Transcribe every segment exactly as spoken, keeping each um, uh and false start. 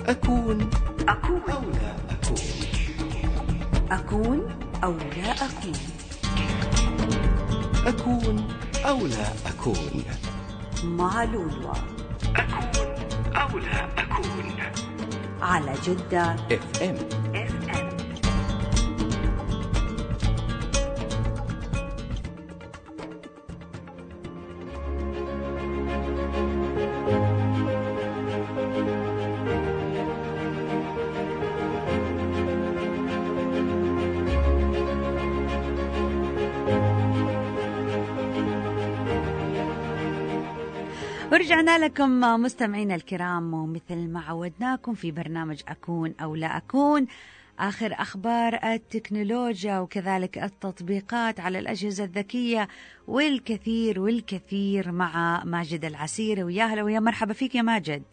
أكون أكون أو لا أكون أكون أو لا أكون أكون أو لا أكون مع لولو. أكون أو لا أكون على جدة اف ام. ورجعنا لكم مستمعينا الكرام، ومثل ما عودناكم في برنامج أكون أو لا أكون، آخر أخبار التكنولوجيا وكذلك التطبيقات على الأجهزة الذكية والكثير والكثير مع ماجد العسيري. ويا هلا ويا مرحبا فيك يا ماجد.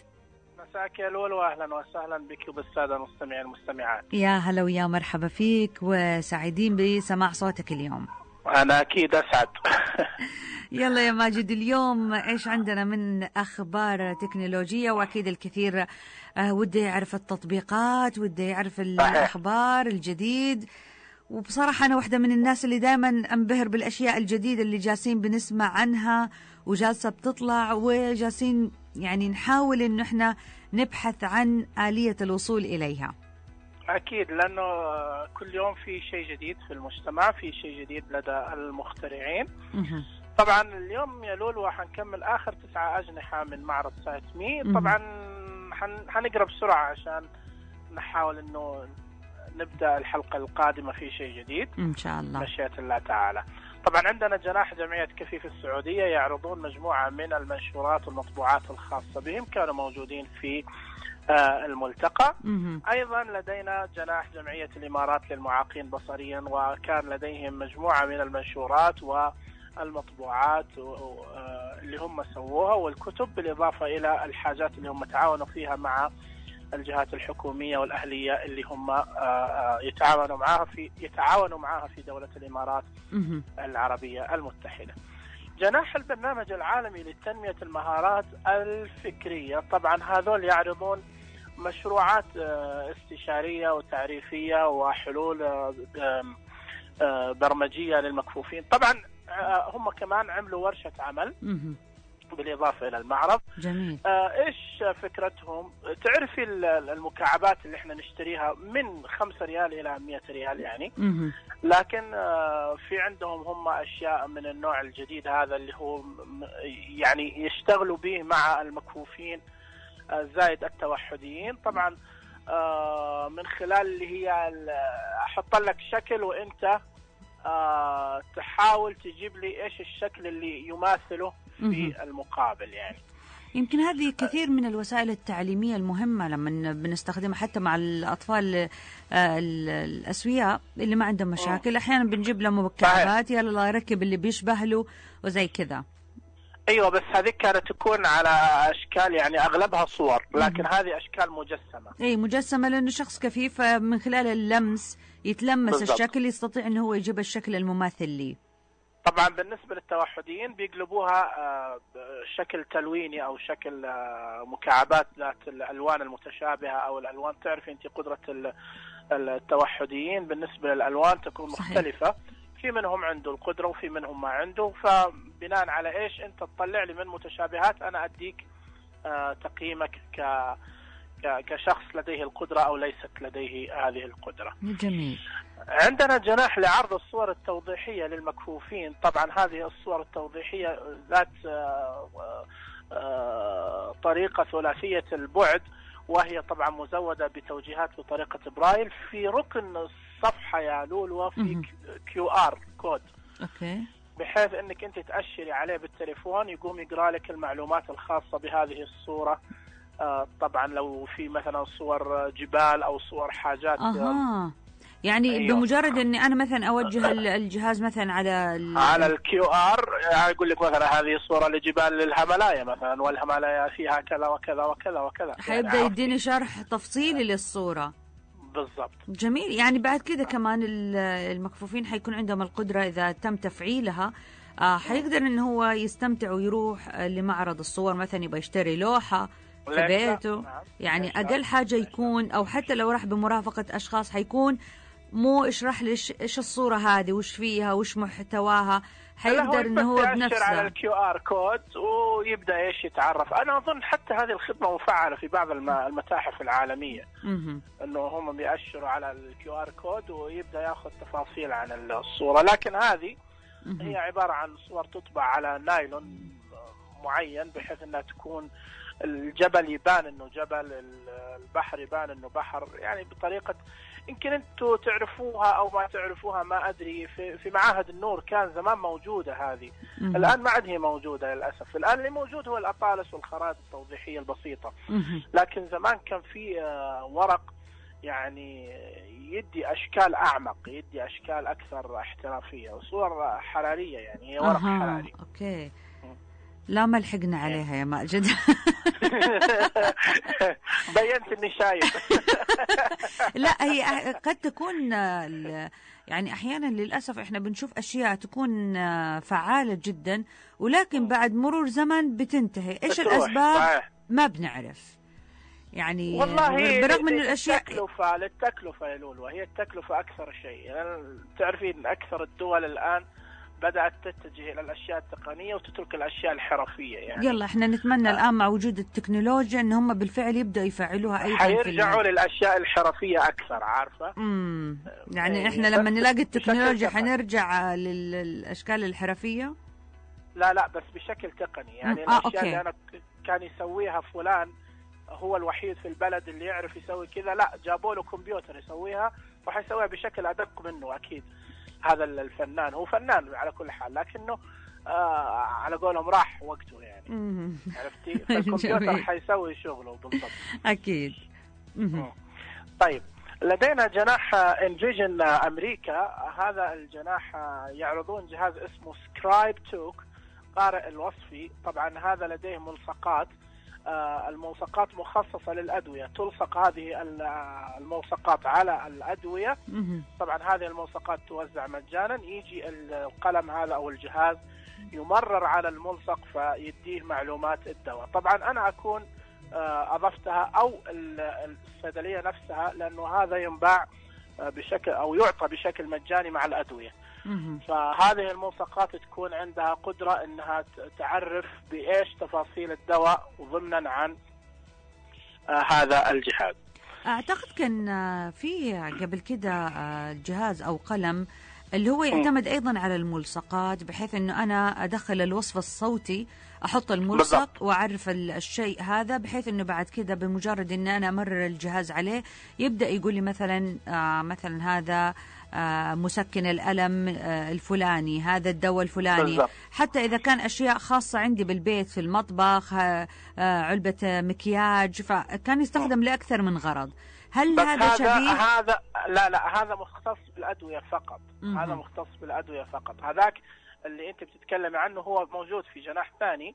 مساك يا لولو، أهلا وسهلا بك وبالسادة المستمعين والمستمعات. يا هلا ويا مرحبا فيك، وسعيدين بسماع صوتك اليوم. أنا أكيد أسعد. يلا يا ماجد، اليوم إيش عندنا من أخبار تكنولوجية؟ وأكيد الكثير وده يعرف التطبيقات، وده يعرف الأخبار الجديد. وبصراحة أنا واحدة من الناس اللي دائما أنبهر بالأشياء الجديدة اللي جالسين بنسمع عنها وجالسة بتطلع، وجالسين يعني نحاول إنه إحنا نبحث عن آلية الوصول إليها. أكيد، لأنه كل يوم في شيء جديد في المجتمع، في شيء جديد لدى المخترعين. طبعا اليوم يا لولو حنكمل آخر تسعة أجنحة من معرض سايت مي. طبعا حنقرأ بسرعة عشان نحاول إنه نبدأ الحلقة القادمة في شيء جديد إن شاء الله مشيئة الله تعالى. طبعا عندنا جناح جمعية كفيف السعودية يعرضون مجموعة من المنشورات والمطبوعات الخاصة بهم، كانوا موجودين في الملتقى. أيضا لدينا جناح جمعية الإمارات للمعاقين بصريا، وكان لديهم مجموعة من المنشورات والمطبوعات اللي هم سووها والكتب، بالإضافة إلى الحاجات اللي هم تعاونوا فيها مع الجهات الحكومية والأهلية اللي هم يتعاونوا معها في يتعاونوا معها في دولة الإمارات العربية المتحدة. جناح البرنامج العالمي لتنمية المهارات الفكرية، طبعا هذول يعرضون مشروعات استشارية وتعريفية وحلول برمجية للمكفوفين. طبعا هم كمان عملوا ورشة عمل بالإضافة إلى المعرض. جميل. إيش فكرتهم؟ تعرفي المكعبات اللي احنا نشتريها من خمسة ريال إلى مئة ريال يعني، لكن في عندهم هم أشياء من النوع الجديد هذا اللي هو يعني يشتغلوا به مع المكفوفين زائد التوحديين. طبعا من خلال اللي هي أحط لك شكل وإنت تحاول تجيب لي إيش الشكل اللي يماثله في المقابل يعني. يمكن هذه كثير من الوسائل التعليمية المهمة لما بنستخدمها حتى مع الأطفال الأسوياء اللي ما عندهم مشاكل. أحيانا بنجيب له مكعبات، يلا الله يركب اللي بيشبه له وزي كذا. أيوة، بس هذه كانت تكون على أشكال يعني أغلبها صور، لكن مم. هذه أشكال مجسمة. أي مجسمة، لأنه شخص كفيف من خلال اللمس يتلمس بالضبط. الشكل يستطيع أنه هو يجيب الشكل المماثل لي. طبعا بالنسبة للتوحديين بيقلبوها شكل تلويني أو شكل مكعبات ذات الألوان المتشابهة أو الألوان. تعرفي أنت قدرة التوحديين بالنسبة للألوان تكون مختلفة. صحيح. في منهم عنده القدرة وفي منهم ما عنده، فبناء على إيش أنت تطلع لي من متشابهات أنا أديك تقييمك ك كشخص لديه القدرة أو ليست لديه هذه القدرة. جميل. عندنا جناح لعرض الصور التوضيحية للمكفوفين. طبعا هذه الصور التوضيحية ذات طريقة ثلاثية البعد، وهي طبعا مزودة بتوجيهات بطريقة برايل. في ركن الصفحة يا لولو في كيو آر كود، أوكي، بحيث أنك أنت تأشري عليه بالتليفون يقوم يقرأ لك المعلومات الخاصة بهذه الصورة. آه طبعا لو في مثلا صور جبال او صور حاجات. اها يعني أيوه. بمجرد اني انا مثلا اوجه الجهاز مثلا على ال... على الكيو ار يقول لك مثلا هذه صورة لجبال الهيمالايا مثلا، والهيمالايا فيها كذا وكذا وكذا وكذا، حيبدا يعني يديني شرح تفصيلي للصورة. بالضبط. جميل. يعني بعد كده كمان المكفوفين حيكون عندهم القدرة اذا تم تفعيلها آه حيقدر ان هو يستمتع ويروح لمعرض الصور، مثلا يبغى يشتري لوحة في بيته. نعم. يعني أقل حاجة يكون، أو حتى لو راح بمرافقة أشخاص حيكون مو اشرح لي ايش الصورة هذه وش فيها وش محتواها، حيقدر انه هو بنفسه على الكيو ار كود ويبدا ايش يتعرف. انا اظن حتى هذه الخدمه مفعله في بعض المتاحف العالميه، انه هم بيأشروا على الكيو ار كود ويبدا ياخذ تفاصيل عن الصوره. لكن هذه هي عباره عن صور تطبع على نايلون معين بحيث انها تكون الجبل يبان انه جبل، البحر يبان انه بحر، يعني بطريقه يمكن انتم تعرفوها او ما تعرفوها ما ادري. في, في معاهد النور كان زمان موجوده هذه، مم. الان ما عاد هي موجوده للاسف. الان اللي موجود هو الاطالس والخرائط التوضيحيه البسيطه، مم. لكن زمان كان في ورق يعني يدي اشكال اعمق، يدي اشكال اكثر احترافيه وصور حراريه، يعني هي ورق أه. حراري. اوكي. لا ما لحقنا عليها يا ماجد. بينت اني شايف. لا هي قد تكون يعني احيانا للاسف احنا بنشوف اشياء تكون فعالة جدا ولكن بعد مرور زمن بتنتهي. ايش الاسباب ما بنعرف يعني. والله برغم ان الاشياء التكلفة للتكلفة يا لولو، هي التكلفة اكثر شيء. يعني تعرفين اكثر الدول الان بدأت تتجه إلى الأشياء التقنية وتترك الأشياء الحرفية. يعني يلا إحنا نتمنى آه. الآن مع وجود التكنولوجيا إن هم بالفعل يبدأوا يفعلوها أيضا، حيرجعوا للأشياء الحرفية أكثر. عارفة؟ امم يعني إيه. إحنا لما نلاقي التكنولوجيا حنرجع للأشكال الحرفية؟ لا لا بس بشكل تقني. يعني آه. الأشياء أوكي. اللي أنا كان يسويها فلان هو الوحيد في البلد اللي يعرف يسوي كذا، لا جابوا له كمبيوتر يسويها وحيسويها بشكل أدق منه. أكيد هذا الفنان هو فنان على كل حال، لكنه آه على قولهم راح وقته يعني. عرفتي؟ فالكمبيوتر حيسوي شغله بالضبط. أكيد. طيب لدينا جناح انفيجن أمريكا. هذا الجناح يعرضون جهاز اسمه سكرايب توك قارئ الوصفي. طبعا هذا لديه ملصقات، آه الملصقات مخصصة للأدوية، تلصق هذه الملصقات على الأدوية. طبعا هذه الملصقات توزع مجانا، يجي القلم هذا أو الجهاز يمرر على الملصق فيديه معلومات الدواء. طبعا أنا أكون آه أضفتها أو الصيدلية نفسها، لأنه هذا ينباع بشكل أو يعطى بشكل مجاني مع الأدوية. فهذه الملصقات تكون عندها قدرة انها تعرف بايش تفاصيل الدواء ضمنا عن آه هذا الجهاز. اعتقد كان في قبل كده جهاز او قلم اللي هو يعتمد ايضا على الملصقات، بحيث انه انا ادخل الوصف الصوتي احط الملصق بالضبط. واعرف الشيء هذا، بحيث انه بعد كده بمجرد ان انا امرر الجهاز عليه يبدا يقول لي مثلا آه مثلا هذا آه مسكن الألم آه الفلاني، هذا الدواء الفلاني بالضبط. حتى إذا كان أشياء خاصة عندي بالبيت في المطبخ آه آه علبة مكياج، فكان يستخدم لأكثر من غرض. هل هذا شبيه؟ هذا لا لا هذا مختص بالأدوية فقط. م- هذا مختص بالأدوية فقط. هذاك اللي أنت بتتكلمي عنه هو موجود في جناح ثاني،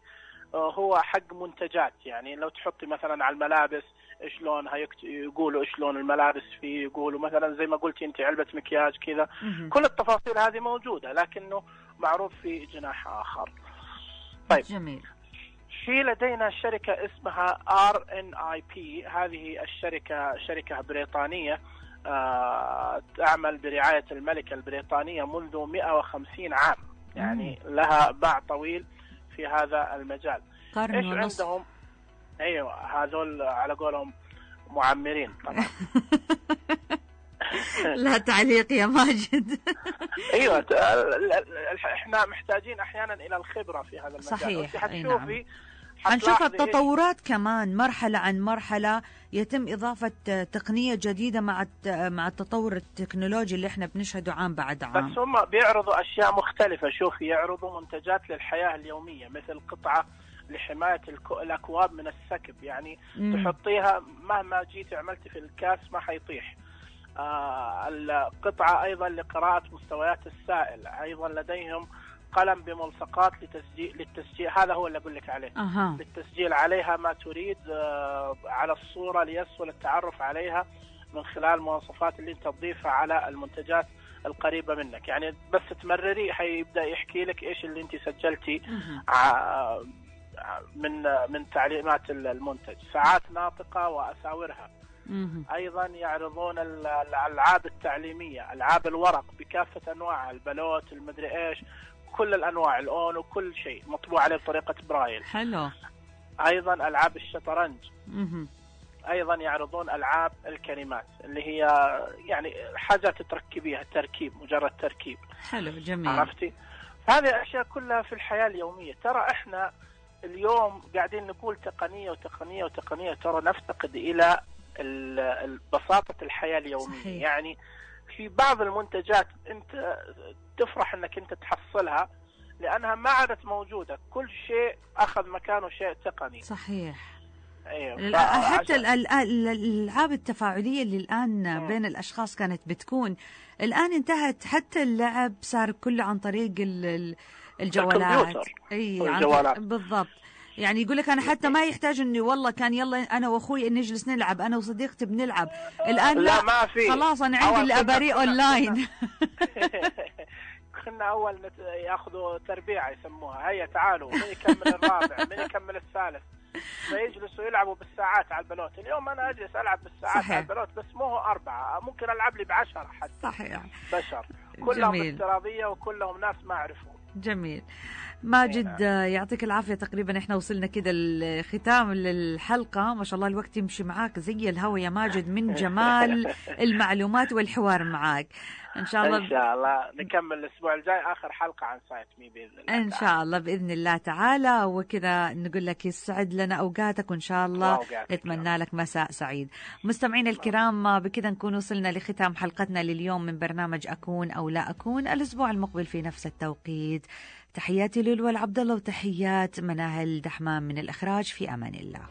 هو حق منتجات. يعني لو تحطي مثلا على الملابس ايش لونها، يقولوا ايش لون الملابس فيه، يقولوا مثلا زي ما قلتي انت علبة مكياج كذا. كل التفاصيل هذه موجودة لكنه معروض في جناح آخر. طيب جميل. في لدينا شركة اسمها آر إن آي بي. هذه الشركة شركة بريطانية آه تعمل برعاية الملكة البريطانية منذ مئة وخمسين عام، يعني مم. لها باع طويل في هذا المجال. ايش عندهم؟ ايوه هذول على قولهم معمرين طبعا. لا تعليق يا ماجد. ايوه احنا محتاجين احيانا الى الخبره في هذا المجال. صحيح. حتشوفي حنشوف التطورات كمان مرحله عن مرحله، يتم اضافه تقنيه جديده مع مع التطور التكنولوجي اللي احنا بنشهده عام بعد عام. بس هم بيعرضوا اشياء مختلفه. شوفي يعرضوا منتجات للحياه اليوميه، مثل قطعه لحماية الأكواب من السكب، يعني مم. تحطيها مهما جيت عملتي في الكاس ما حيطيح. آه القطعة أيضا لقراءة مستويات السائل. أيضا لديهم قلم بملصقات لتسجيل للتسجيل، هذا هو اللي أقول لك عليه. أه. للتسجيل عليها ما تريد آه على الصورة ليسهل التعرف عليها من خلال المواصفات اللي أنت تضيفها على المنتجات القريبة منك. يعني بس تمرري حيبدأ يحكي لك إيش اللي أنت سجلتي من من تعليمات المنتج، ساعات ناطقة وأساورها. أيضا يعرضون الألعاب التعليمية، ألعاب الورق بكافة أنواعها، البلوت، المدري إيش، كل الأنواع، الأونو، كل شيء مطبوع عليه بطريقة برايل. حلو. أيضا ألعاب الشطرنج. أيضا يعرضون ألعاب الكلمات اللي هي يعني حاجات تركبيها، تركيب، مجرد تركيب. حلو، جميل. عرفتي؟ هذه الأشياء كلها في الحياة اليومية. ترى إحنا اليوم قاعدين نقول تقنية وتقنية وتقنية، ترى نفتقد إلى بساطة الحياة اليومية. صحيح. يعني في بعض المنتجات أنت تفرح أنك أنت تحصلها لأنها ما عادت موجودة، كل شيء أخذ مكانه شيء تقني. صحيح. أيوة. حتى الألعاب التفاعلية اللي الآن م. بين الأشخاص كانت بتكون، الآن انتهت. حتى اللعب صار كله عن طريق الجوالات. أي الجوالات. بالضبط. يعني يقول لك أنا حتى ما يحتاج إني والله كان يلا أنا وأخوي نجلس نلعب، أنا وصديقتي بنلعب. الآن لا, لا ما في. خلاص أنا عندي الأباري أونلاين. كنا أول نت... يأخذوا تربيعة يسموها، هيا تعالوا من يكمل الرابع من يكمل الثالث، فيجلسوا يلعبوا بالساعات على البلوت. اليوم أنا أجلس ألعب بالساعات. صحيح. على البلوت، بس مو هو أربعة، ممكن ألعب لي بعشرة حتى. صحيح. بشر كلهم افتراضية وكلهم ناس ما أعرفهم. جميل. ماجد يعطيك العافية. تقريبا احنا وصلنا كده الختام للحلقة. ما شاء الله الوقت يمشي معاك زي الهوا يا ماجد من جمال المعلومات والحوار معاك. ان شاء الله ان شاء الله نكمل الاسبوع الجاي اخر حلقة عن سايت مي باذن الله ان شاء الله باذن الله تعالى. وكذا نقول لك يسعد لنا اوقاتك، وان شاء الله نتمنى لك مساء سعيد. مستمعينا الكرام، بكذا نكون وصلنا لختام حلقتنا لليوم من برنامج أكون أو لا أكون. الاسبوع المقبل في نفس التوقيت. تحياتي لولو العبد الله وتحيات مناهل دحمان من الإخراج. في أمان الله.